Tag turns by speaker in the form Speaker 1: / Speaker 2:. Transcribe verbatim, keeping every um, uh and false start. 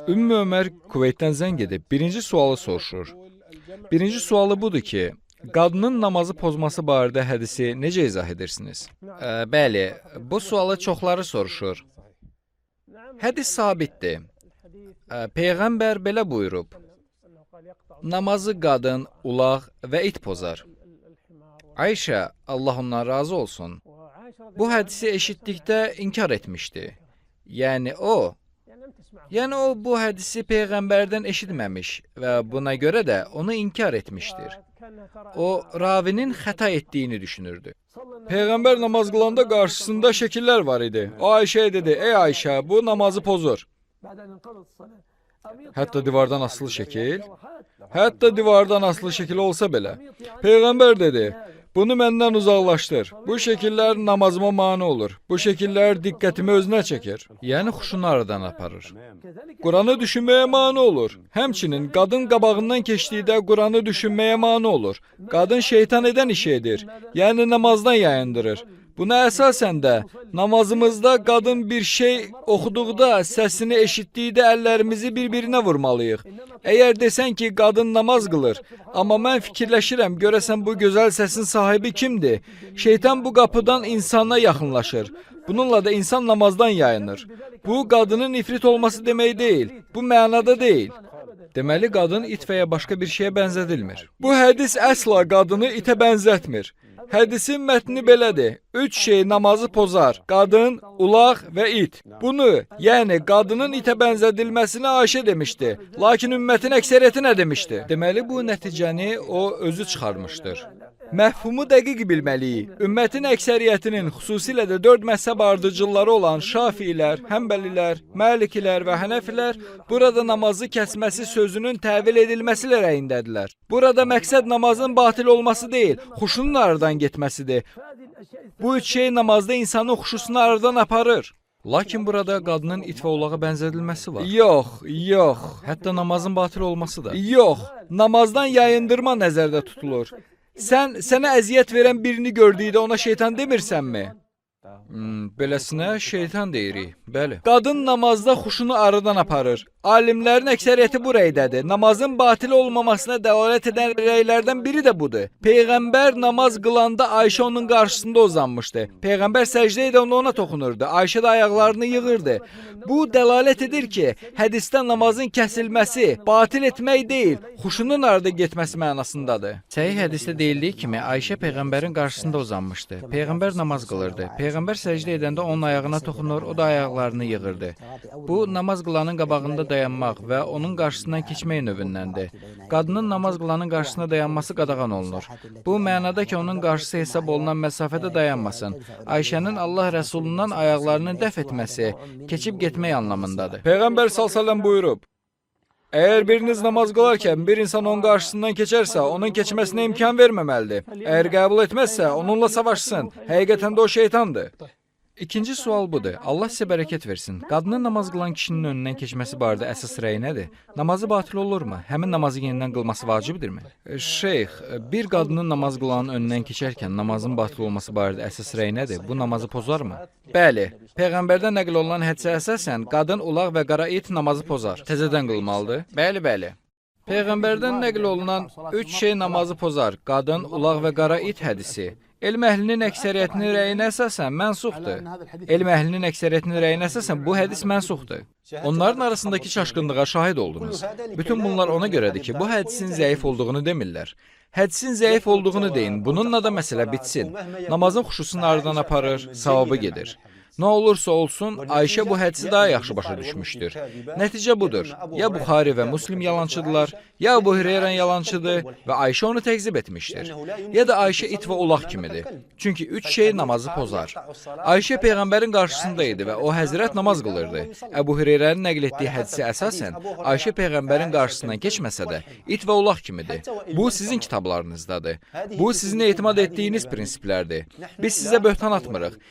Speaker 1: Ümmü Ömer Kuveytdən zəng edib birinci sualı soruşur. Birinci sualı budur ki, qadının namazı pozması barədə hədisi necə izah edirsiniz? E, bəli, bu sualı çoxları soruşur. Hədis sabitdir. E, Peyğəmbər belə buyurub. Namazı qadın, ulaq və it pozar. Ayşə, Allah ondan razı olsun, bu hədisi eşitdikdə inkar etmişdi. Yəni o, yəni o bu hədisi Peyğəmbərdən eşitməmiş və buna görə də onu inkar etmişdir. O, ravinin xəta etdiyini düşünürdü. Peyğəmbər namaz qılanda qarşısında şəkillər var idi. O Ayşəyə dedi, ey Ayşə, bu namazı pozur. Hətta divardan asılı şəkil, hətta divardan asılı şəkil olsa belə. Peyğəmbər dedi, bunu məndən uzaqlaşdır. Bu şəkillər namazıma mane olur. Bu şəkillər diqqətimi özünə çəkir. Yəni xuşunu aradan aparır. Quranı düşünməyə mane olur. Həmçinin qadın qabağından keçdikdə Quranı düşünməyə mane olur. Qadın şeytan edən işi edir. Yəni namazdan yayındırır. Buna əsasən də namazımızda qadın bir şey oxuduqda, səsini eşitdikdə əllərimizi bir-birinə vurmalıyıq. Əgər desən ki, qadın namaz qılır, amma mən fikirləşirəm, görəsən bu gözəl səsin sahibi kimdir? Şeytan bu qapıdan insana yaxınlaşır. Bununla da insan namazdan yayınır. Bu, qadının ifrit olması demək deyil. Bu mənada deyil. Deməli, qadın it və ya başqa bir şeyə bənzədilmir. Bu hədis əsla qadını itə bənzətmir. Hədisin mətni belədir. Üç şey namazı pozar. Qadın, ulaq və it. Bunu, yəni qadının itə bənzədilməsini Ayşə demişdi. Lakin ümmətin əksəriyyəti nə demişdi? Deməli, bu nəticəni o özü çıxarmışdır. Məfhumu dəqiq bilməliyik. Ümmətin əksəriyyətinin, xüsusilə də dörd məzhəb ardıcılları olan Şafilər, Həmbəlilər, Məlikilər və Hənəfilər burada namazı kəsməsi sözünün təvil edilməsi rəyindədirlər. Burada məqsəd namazın batil olması deyil, xuşunun aradan getməsidir. Bu üç şey namazda insanın xuşusunu aradan aparır. Lakin burada qadının it və ulağa bənzədilməsi var. Yox, yox. Hətta namazın batil olması da. Yox, namazdan yayındırma nəzərdə tutulur. Sən, sənə əziyyət verən birini gördükdə ona şeytan demirsənmi? Hmm, beləsinə şeytan deyirik, bəli. Qadın namazda xuşunu aradan aparır. Alimlərin əksəriyyəti bu rəydədir. Namazın batil olmamasına dəlalət edən rəylərdən biri də budur. Peyğəmbər namaz qılanda Ayşə onun qarşısında uzanmışdı. Peyğəmbər səcdə edən ona toxunurdu. Ayşə də ayaqlarını yığırdı. Bu dəlalət edir ki, hədisdə namazın kəsilməsi batil etmək deyil, xuşunun arada getməsi mənasındadır. Səhih hədisdə deyildiyi kimi Ayşə Peyğəmbərin qarşısında uzanmışdı. Peyğəmbər namaz qılırdı. Peyğəmbər səcdə edəndə onun ayağına toxunur, o da ayaqlarını yığırdı. Bu, namaz qılanın qabağında dayanmaq və onun qarşısından keçmək növündəndir. Qadının namaz qılanın qarşısına dayanması qadağan olunur. Bu mənada ki, onun qarşısı hesab olunan məsafədə dayanmasın. Ayşənin Allah Rəsulundan ayaqlarını dəf etməsi, keçib getmək anlamındadır. Peyğəmbər sallallahu buyurub, əgər biriniz namaz qılarkən bir insan onun qarşısından keçərsə, onun keçməsinə imkan verməməlidir. Əgər qəbul etməzsə, onunla savaşsın. Həqiqətən də o şeytandır. İkinci sual budur. Allah sizə bərəkət versin. Qadının namaz qılan kişinin önündən keçməsi barədə əsas rəy nədir? Namazı batil olurmu? Həmin namazı yenidən qılması vacibdirmi? Şeyx, bir qadının namaz qılanın önündən keçərkən namazın batil olması barədə əsas rəy nədir? Bu namazı pozarmı? Bəli. Peyğəmbərdən nəql olunan hədisə əsasən qadın, ulaq və qara it namazı pozar. Təzədən qılmalıdır? Bəli, bəli. Peyğəmbərdən nəql olunan üç şey namazı pozar. Qadın, ulaq və qara it hədisi. Elm əhlinin əksəriyyətinin rəyinə əsasən mənsuxdur. Elm əhlinin əksəriyyətinin rəyinə əsasən bu hədis mənsuxdur. Onların arasındakı çaşqınlığa şahid oldunuz. Bütün bunlar ona görədir ki, bu hədisin zəif olduğunu demirlər. Hədisin zəif olduğunu deyin, bununla da məsələ bitsin. Namazın xuşusunu aradan aparır, savabı gedir. Nə olursa olsun, Ayşə bu hədisi daha yaxşı başa düşmüşdür. Nəticə budur. Ya Buxari və Müslim yalançıdırlar, ya Əbu Hüreyrə yalançıdır və Ayşə onu təqzib etmişdir. Ya da Ayşə it və ulaq kimidir. Çünki üç şey namazı pozar. Ayşə Peyğəmbərin qarşısında idi və o həzrət namaz qılırdı. Əbu Hüreyrənin nəql etdiyi hədisə əsasən, Ayşə Peyğəmbərin qarşısından keçməsə də, it və ulaq kimidir. Bu, sizin kitablarınızdadır. Bu, sizin etimad etdiyiniz prinsiplərdir. Biz sizə böhtan atmırıq.